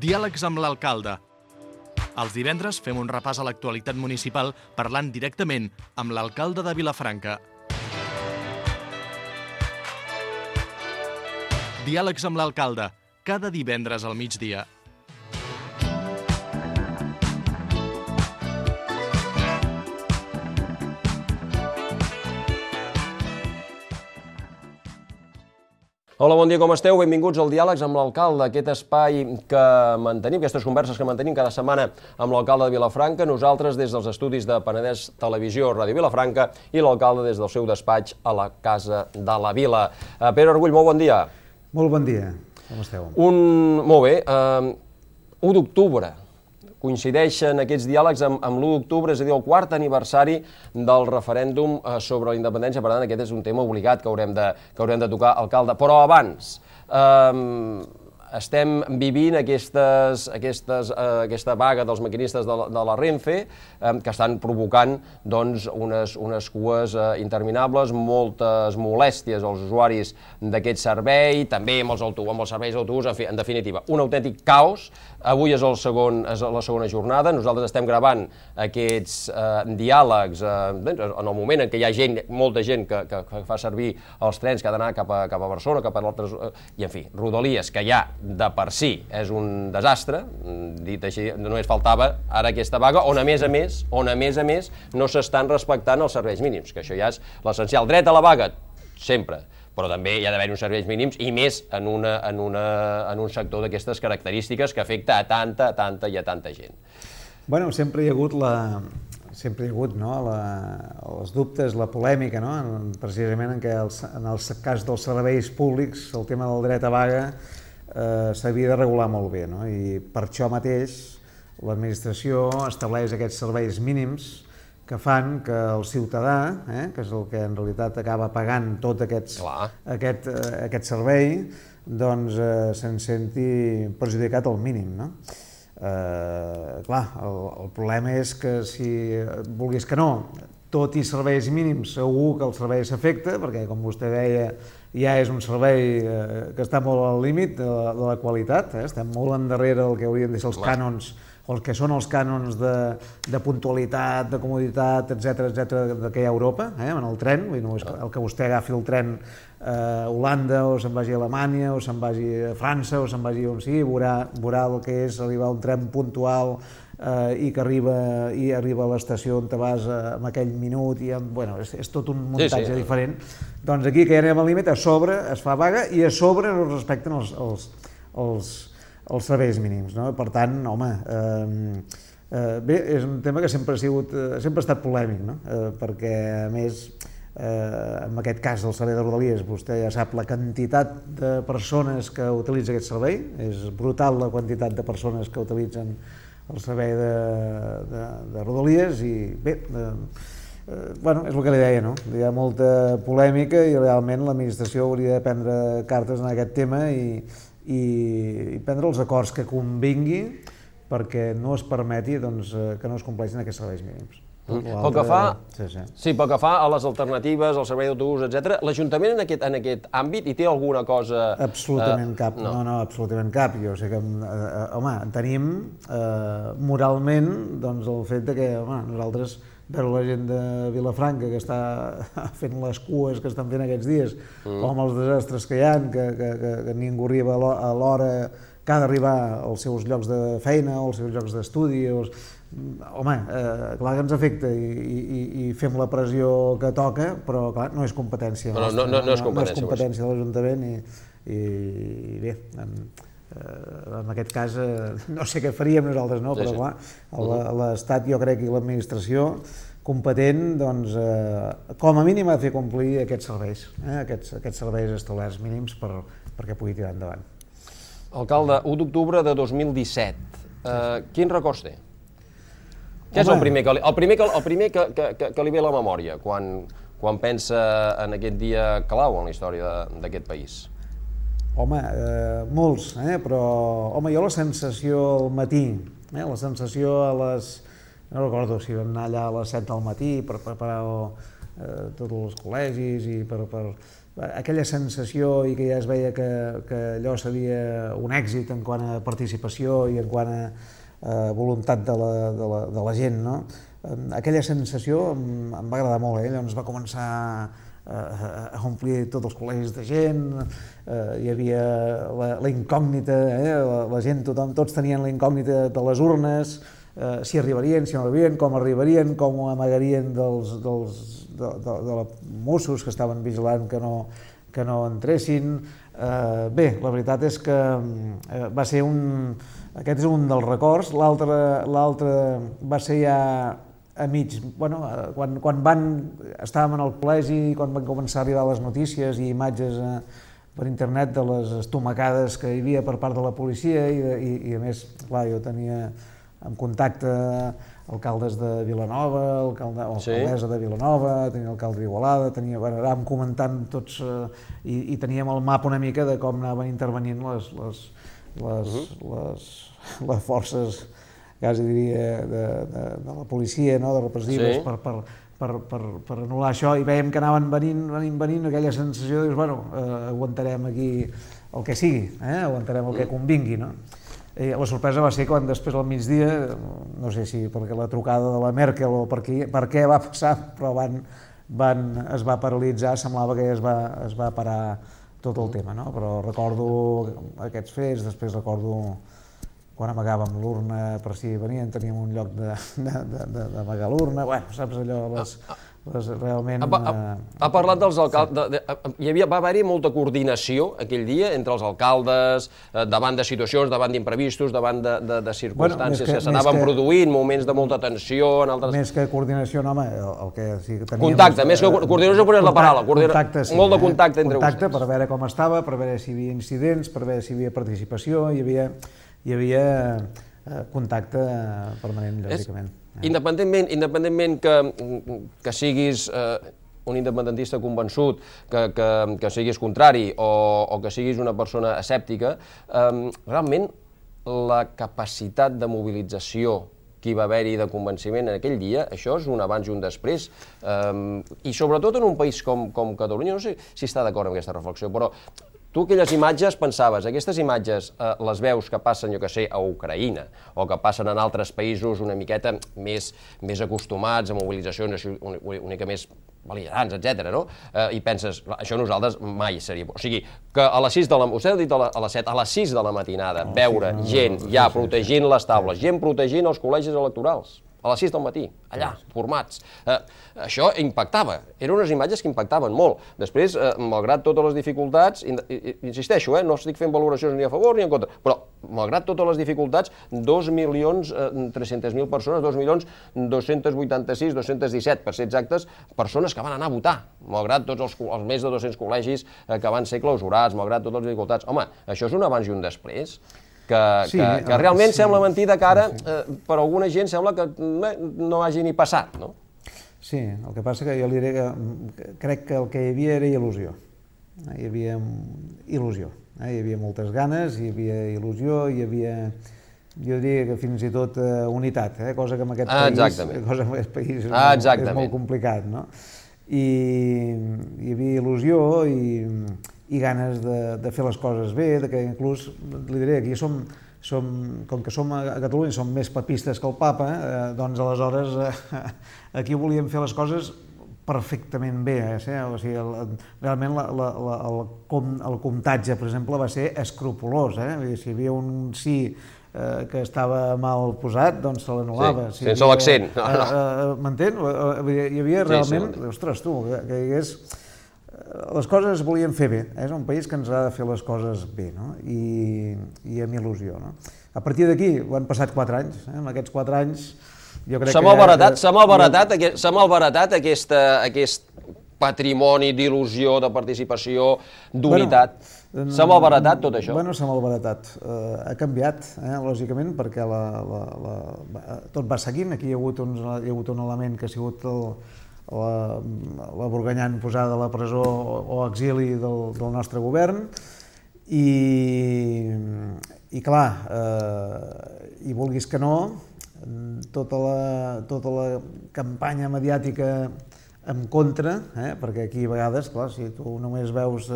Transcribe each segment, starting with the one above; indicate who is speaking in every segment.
Speaker 1: Diàlegs amb l'alcalde. Els divendres fem un repàs a l'actualitat municipal parlant directament amb l'alcalde de Vilafranca. Diàlegs amb l'alcalde, cada divendres al migdia.
Speaker 2: Hola, bon dia, com esteu? Benvinguts al Diàlegs amb l'alcalde, aquest espai que mantenim, aquestes converses que mantenim cada setmana amb l'alcalde de Vilafranca, nosaltres des dels estudis de Penedès Televisió, Ràdio Vilafranca, i l'alcalde des del seu despatx a la Casa de la Vila. Pere Argull, molt bon dia.
Speaker 3: Molt bon dia, com esteu?
Speaker 2: Molt bé, 1 d'octubre. Coincideixen aquests diàlegs amb l'1 d'octubre, és a dir, el 4è aniversari del referèndum sobre la independència. Per tant, aquest és un tema obligat que haurem de tocar, alcalde. Però abans, estem vivint aquesta vaga dels maquinistes de la Renfe que estan provocant unes cues interminables, moltes molèsties als usuaris d'aquest servei, també amb els serveis d'autobús, en definitiva, un autèntic caos. Avui és la segona jornada, nosaltres estem gravant aquests diàlegs en el moment en què hi ha molta gent que fa servir els trens que ha d'anar cap a Barcelona, cap a altres, i en fi, rodalies, que ja de per si és un desastre, dit així, només faltava ara aquesta vaga, on a més a més no s'estan respectant els serveis mínims, que això ja és l'essencial. Dret a la vaga, sempre, però també hi ha d'haver uns serveis mínims, i més en un sector d'aquestes característiques que afecta a tanta gent.
Speaker 3: Bueno, sempre hi ha hagut els dubtes, la polèmica, precisament en el cas dels serveis públics, el tema del dret a vaga s'havia de regular molt bé, i per això mateix l'administració estableix aquests serveis mínims que fan que el ciutadà, que és el que en realitat acaba pagant tot aquest servei, doncs se'n senti perjudicat al mínim. Clar, el problema és que si vulguis que no, tot i serveis mínims, segur que el servei s'afecta, perquè, com vostè deia, ja és un servei que està molt al límit de la qualitat, estem molt endarrere del que haurien de ser els cànons, o el que són els cànons de puntualitat, de comoditat, etc., que hi ha a Europa, en el tren. El que vostè agafi el tren a Holanda, o se'n vagi a Alemanya, o se'n vagi a França, o se'n vagi on sigui, veurà el que és arribar a un tren puntual i que arriba a l'estació on te vas en aquell minut, i és tot un muntatge diferent. Doncs aquí, que ja anem al límit, a sobre es fa vaga i a sobre no es respecten els serveis mínims. Per tant, home, bé, és un tema que sempre ha estat polèmic, perquè, a més, en aquest cas del servei de Rodalies, vostè ja sap la quantitat de persones que utilitza aquest servei, és brutal la quantitat de persones que utilitzen el servei de Rodalies, i bé, és el que li deia, hi ha molta polèmica i realment l'administració hauria de prendre cartes en aquest tema i prendre els acords que convingui perquè no es permeti que no es compleixin aquests serveis mínims.
Speaker 2: Pel que fa a les alternatives, al servei d'autobús, etc., l'Ajuntament en aquest àmbit hi té alguna cosa?
Speaker 3: Absolutament cap, no, absolutament cap. Jo sé que, home, tenim moralment el fet que nosaltres, veure la gent de Vilafranca que està fent les cues que estan fent aquests dies, o amb els desastres que hi ha, que ningú arriba a l'hora que ha d'arribar als seus llocs de feina o als seus llocs d'estudi, home, clar que ens afecta i fem la pressió que toca, però clar, no és competència nostra, no és competència de l'Ajuntament, i bé, en aquest cas no sé què faríem nosaltres, però clar, l'Estat, jo crec, i l'administració competent, doncs, com a mínim ha de fer complir aquests serveis, aquests serveis establerts mínims perquè pugui tirar endavant.
Speaker 2: Alcalde, 1 d'octubre de 2017, quins records té? Què és el primer que li ve a la memòria quan pensa en aquest dia clau en la història d'aquest país?
Speaker 3: Home, molts, però jo la sensació al matí, la sensació a les... no recordo si vam anar allà a les 7 del matí per preparar tots els col·legis i per aquella sensació i que ja es veia que allò seria un èxit en quant a participació i en quant a voluntat de la gent, no? Aquella sensació em va agradar molt, llavors va començar a omplir tots els col·legis de gent, hi havia la incògnita, la gent, tothom, tots tenien la incògnita de les urnes, si arribarien, si no arribarien, com ho amagarien dels Mossos que estaven vigilant que no entressin. Bé, la veritat és que va ser aquest és un dels records, l'altre va ser ja a mig, quan estàvem en el col·legi, quan van començar a arribar les notícies i imatges per internet de les estomacades que hi havia per part de la policia i a més, clar, jo tenia en contacte alcaldes de Vilanova, alcaldessa de Vilanova, tenia l'alcalde d'Igualada, anàvem comentant tots i teníem el mapa una mica de com anaven intervenint les forces, quasi diria, de la policia, de repressives, per anul·lar això, i veiem que anaven venint aquella sensació de dir, aguantarem aquí el que sigui, aguantarem el que convingui, no? La sorpresa va ser quan després al migdia, no sé si perquè la trucada de la Merkel o per què va passar, però es va paralitzar, semblava que es va parar tot el tema, no? Però recordo aquests fets, després recordo quan amagàvem l'urna per si venien, teníem un lloc d'amagar l'urna, saps allò, realment...
Speaker 2: Ha parlat dels alcaldes, va haver-hi molta coordinació aquell dia entre els alcaldes, davant de situacions, davant d'imprevistos, davant de circumstàncies que s'anaven produint, moments de molta tensió...
Speaker 3: Més que coordinació, no, home, el que sí que teníem...
Speaker 2: Contacte, més que coordinació, és la paraula, molt de contacte entre vostès.
Speaker 3: Contacte per veure com estava, per veure si hi havia incidents, per veure si hi havia participació, hi havia contacte permanent, lògicament.
Speaker 2: Independentment que siguis un independentista convençut, que siguis contrari o que siguis una persona escèptica, realment la capacitat de mobilització que hi va haver-hi de convenciment en aquell dia, això és un abans i un després, i sobretot en un país com Catalunya, no sé si està d'acord amb aquesta reflexió, però tu aquelles imatges pensaves, aquestes imatges les veus que passen, jo que sé, a Ucraïna o que passen en altres països una miqueta més acostumats a mobilitzacions una mica més bel·ligerants, etc. no? I penses, això nosaltres mai seria... O sigui, que a les 6 de la... Vostè ha dit a les 7, a les 6 de la matinada, veure gent ja protegint les taules, gent protegint els col·legis electorals, a les 6 del matí, allà, formats. Això impactava, eren unes imatges que impactaven molt. Després, malgrat totes les dificultats, insisteixo, no estic fent valoracions ni a favor ni en contra, però malgrat totes les dificultats, 2.300.000 persones, 2.286, 217, per ser exactes, persones que van anar a votar, malgrat tots els més de 200 col·legis que van ser clausurats, malgrat totes les dificultats. Home, això és un abans i un després. Que realment sembla mentida que ara, per alguna gent, sembla que no hagi ni passat, no?
Speaker 3: Sí, el que passa que jo li diré que crec que el que hi havia era il·lusió. Hi havia il·lusió, hi havia moltes ganes, hi havia il·lusió, hi havia, jo diria que fins i tot unitat, cosa que en aquest país és molt complicat, no? I hi havia il·lusió i ganes de fer les coses bé, que inclús, li diré, aquí com que som a Catalunya, som més papistes que el papa, doncs aleshores aquí volíem fer les coses perfectament bé. O sigui, realment el comptatge, per exemple, va ser escrupolós. Si hi havia un sí que estava mal posat, doncs se l'anul·lava.
Speaker 2: Sense l'accent.
Speaker 3: M'entén? Hi havia realment... Ostres, tu, que hi hagués... Les coses es volien fer bé, és un país que ens ha de fer les coses bé, no? I amb il·lusió, no? A partir d'aquí, han passat 4 anys, en aquests 4 anys jo crec que...
Speaker 2: S'ha malbaratat aquest patrimoni d'il·lusió, de participació, d'unitat. S'ha malbaratat tot això?
Speaker 3: Bueno, s'ha malbaratat. Ha canviat, lògicament, perquè tot va seguint. Aquí hi ha hagut un element que ha sigut la Burganyán posada a la presó o exili del nostre govern i clar, i vulguis que no, tota la campanya mediàtica en contra, perquè aquí a vegades, clar, si tu només veus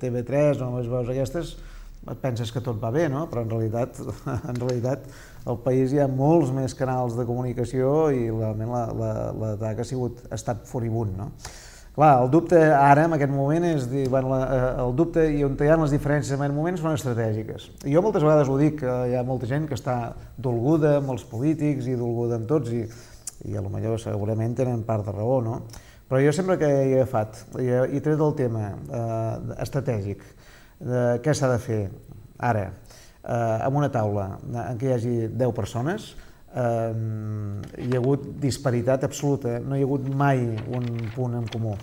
Speaker 3: TV3 o només veus aquestes, et penses que tot va bé, no? Però en realitat al país hi ha molts més canals de comunicació i realment l'atac ha estat furibund, no? Clar, el dubte ara, en aquest moment, és dir, bueno, el dubte i on hi ha les diferències en aquest moment són estratègiques. Jo moltes vegades ho dic, hi ha molta gent que està dolguda amb els polítics i dolguda amb tots i potser segurament tenen part de raó, no? Però jo sempre que he agafat i tret el tema estratègic, de què s'ha de fer ara, en una taula en què hi hagi 10 persones, hi ha hagut disparitat absoluta, no hi ha hagut mai un punt en comú,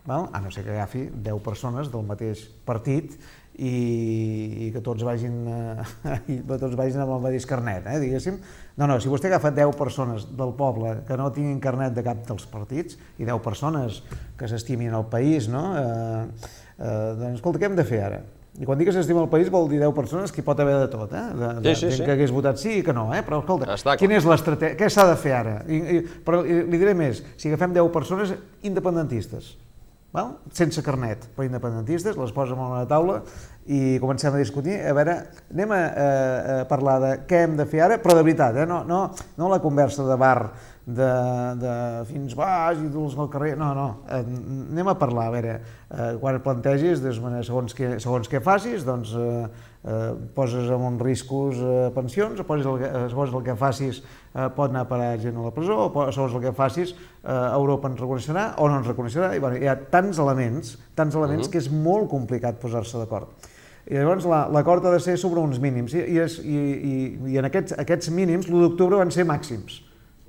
Speaker 3: a no ser que agafi 10 persones del mateix partit i que tots vagin amb el mateix carnet, diguéssim. No, si vostè agafa 10 persones del poble que no tinguin carnet de cap dels partits i 10 persones que s'estimin el país, doncs escolta, què hem de fer ara? I quan dic que s'estima el país vol dir 10 persones que hi pot haver de tot, gent que hagués votat sí i que no, però escolta, quina és l'estratègia, què s'ha de fer ara? Però li diré més, si agafem 10 persones independentistes, sense carnet, però independentistes, les posem a una taula i comencem a discutir, a veure, anem a parlar de què hem de fer ara, però de veritat, no la conversa de bar de fins baix i durs al carrer, no, anem a parlar, a veure, quan et plantegis, segons què facis, doncs poses en uns riscos pensions, segons el que facis pot anar a parar gent a la presó, o segons el que facis Europa ens reconeixerà o no ens reconeixerà, i hi ha tants elements que és molt complicat posar-se d'acord. I llavors l'acord ha de ser sobre uns mínims, i en aquests mínims l'1 d'octubre van ser màxims,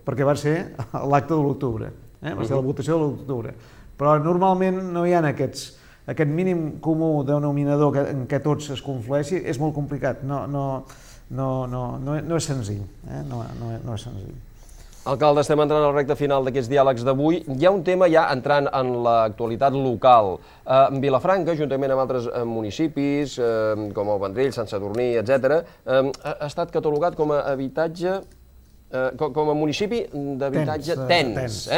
Speaker 3: perquè va ser l'acte de l'1 d'octubre, va ser la votació de l'1 d'octubre. Però normalment no hi ha aquest mínim comú denominador en què tots es conflueixi, és molt complicat, no és senzill, no és senzill.
Speaker 2: Alcalde, estem entrant al recte final d'aquests diàlegs d'avui. Hi ha un tema ja entrant en l'actualitat local. Vilafranca, juntament amb altres municipis, com el Vendrell, Sant Sadurní, etc., ha estat catalogat com a habitatge, com a municipi d'habitatge tens,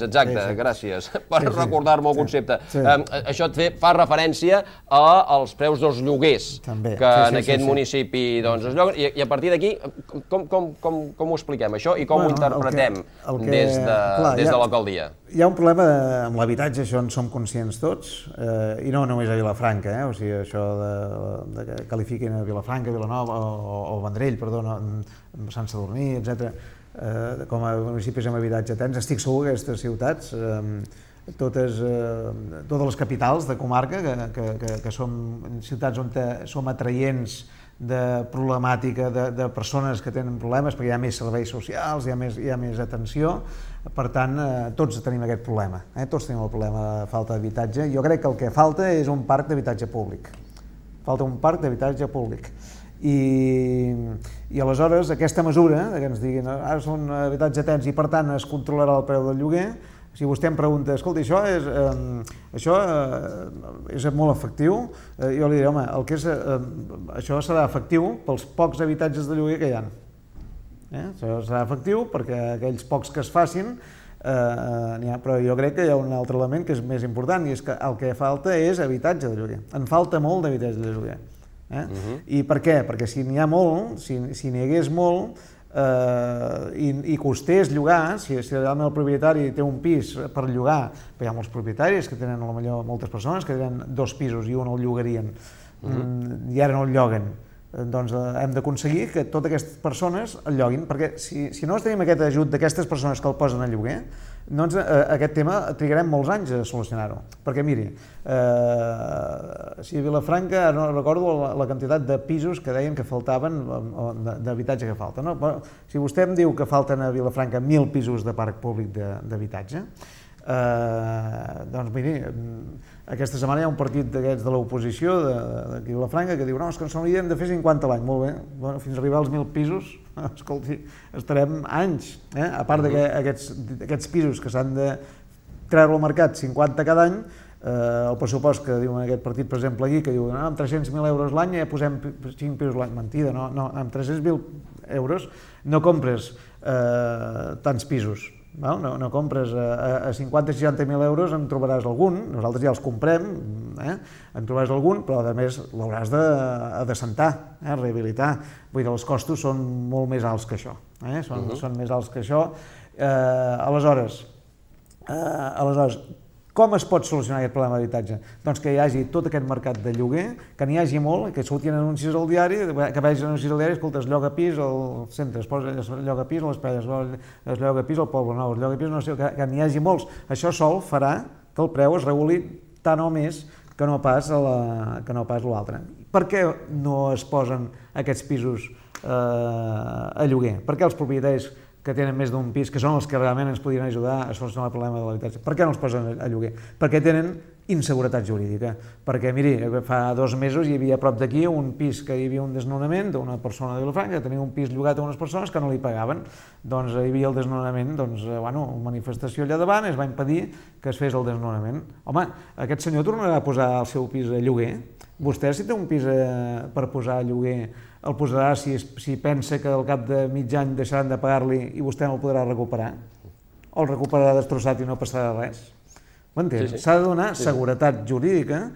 Speaker 2: exacte, gràcies per recordar-me el concepte. Això fa referència als preus dels lloguers que en aquest municipi es lloguen, i a partir d'aquí com ho expliquem això i com ho interpretem des de l'alcaldia?
Speaker 3: Hi ha un problema amb l'habitatge, això en som conscients tots, i no només a Vilafranca, o sigui, això que qualifiquin a Vilafranca, Vilanova o Vendrell, perdó, Sant Sadurní, etc., com a municipis amb habitatge tens. Estic segur que aquestes ciutats, totes les capitals de comarca, que són ciutats on som atraients de problemàtica de persones que tenen problemes, perquè hi ha més serveis socials, hi ha més atenció, per tant, tots tenim aquest problema, tots tenim el problema de falta d'habitatge. Jo crec que el que falta és un parc d'habitatge públic. Falta un parc d'habitatge públic. I aleshores aquesta mesura, que ens diguin ara són habitatge tens i per tant es controlarà el preu del lloguer, si vostè em pregunta, escolta, això és molt efectiu, jo li diré, home, això serà efectiu pels pocs habitatges de lloguer que hi ha. Això serà efectiu perquè aquells pocs que es facin n'hi ha, però jo crec que hi ha un altre element que és més important, i és que el que falta és habitatge de lloguer. En falta molt d'habitatge de lloguer. I per què? Perquè si n'hi ha molt, si n'hi hagués molt i costés llogar, si realment el propietari té un pis per llogar, hi ha molts propietaris que tenen potser moltes persones que tenen 2 pisos i un el llogarien i ara no el lloguen, doncs hem d'aconseguir que totes aquestes persones el lloguin, perquè si no tenim aquest ajut d'aquestes persones que el posen a lloguer, doncs aquest tema trigarem molts anys a solucionar-ho. Perquè miri, si a Vilafranca, no recordo la quantitat de pisos que deien que faltaven, d'habitatge que falta, si vostè em diu que falten a Vilafranca 1.000 pisos de parc públic d'habitatge, doncs miri, aquesta setmana hi ha un partit d'aquests de l'oposició d'aquí a Vilafranca que diu no, és que ens n'hauríem de fer 50 a l'any. Molt bé, fins a arribar als 1.000 pisos, escolti, estarem anys. A part d'aquests pisos que s'han de treure al mercat 50 cada any, el pressupost que diuen aquest partit, per exemple, aquí, que diu amb 300.000 euros l'any ja posem 5 pisos l'any. Mentida, no, amb 300.000 euros no compres tants pisos. No compres a 50-60.000 euros, en trobaràs algun, nosaltres ja els comprem, en trobaràs algun, però a més l'hauràs d'assentar, rehabilitar. Vull dir, els costos són molt més alts que això, són més alts que això. Aleshores, com es pot solucionar aquest problema d'habitatge? Doncs que hi hagi tot aquest mercat de lloguer, que n'hi hagi molt, que surtin anuncis al diari, que vegis anuncis al diari, escolta, es lloga pis al centre, es lloga pis a les Palles, es lloga pis al Poble Nou, es lloga pis, no sé, que n'hi hagi molts. Això sol farà que el preu es reguli tant o més que no pas l'altre. Per què no es posen aquests pisos a lloguer? Per què els propietaris que tenen més d'un pis, que són els que realment ens podrien ajudar a solucionar el problema de l'habitatge, per què no els posen a lloguer? Perquè tenen inseguretat jurídica. Perquè, miri, fa 2 mesos hi havia a prop d'aquí un pis que hi havia un desnonament d'una persona de Vilafranca, que tenia un pis llogat a unes persones que no li pagaven. Doncs hi havia el desnonament, una manifestació allà davant, es va impedir que es fes el desnonament. Home, aquest senyor tornarà a posar el seu pis a lloguer? Vostè, si té un pis per posar a lloguer, el posarà si pensa que al cap de mig any deixaran de pagar-li i vostè no el podrà recuperar? O el recuperarà destrossat i no passarà res? M'entens? S'ha de donar seguretat jurídica,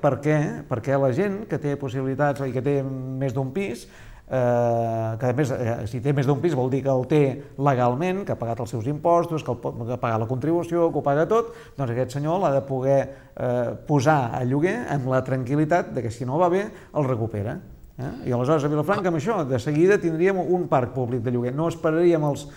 Speaker 3: perquè la gent que té possibilitats i que té més d'un pis, que a més, si té més d'un pis vol dir que el té legalment, que ha pagat els seus impostos, que ha pagat la contribució, que ho paga tot, doncs aquest senyor l'ha de poder posar a lloguer amb la tranquil·litat que si no va bé el recupera. I aleshores a Vilafranca amb això de seguida tindríem un parc públic de lloguer, no esperaríem els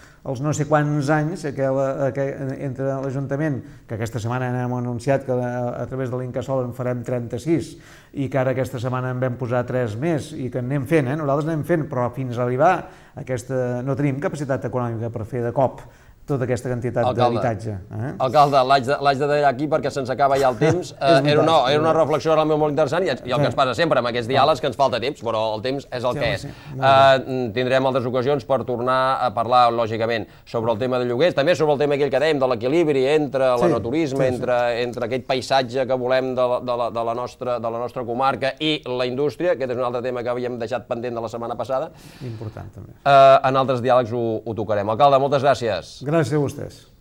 Speaker 3: no sé quants anys entre l'Ajuntament, que aquesta setmana hem anunciat que a través de l'Incasòl en farem 36 i que ara aquesta setmana en vam posar 3 més i que anem fent, nosaltres anem fent, però fins a arribar a aquesta no tenim capacitat econòmica per fer de cop tota aquesta quantitat d'habitatge.
Speaker 2: Alcalde, l'haig de deixar aquí perquè se'ns acaba ja el temps. Era una reflexió realment molt interessant i el que ens passa sempre amb aquests diàlegs, que ens falta temps, però el temps és el que és. Tindrem altres ocasions per tornar a parlar, lògicament, sobre el tema de lloguers, també sobre el tema aquell que dèiem, de l'equilibri entre l'enoturisme, entre aquest paisatge que volem de la nostra comarca i la indústria. Aquest és un altre tema que havíem deixat pendent de la setmana passada.
Speaker 3: Important, també.
Speaker 2: En altres diàlegs ho tocarem. Alcalde, moltes gràcies.
Speaker 3: Gràcies a vostès.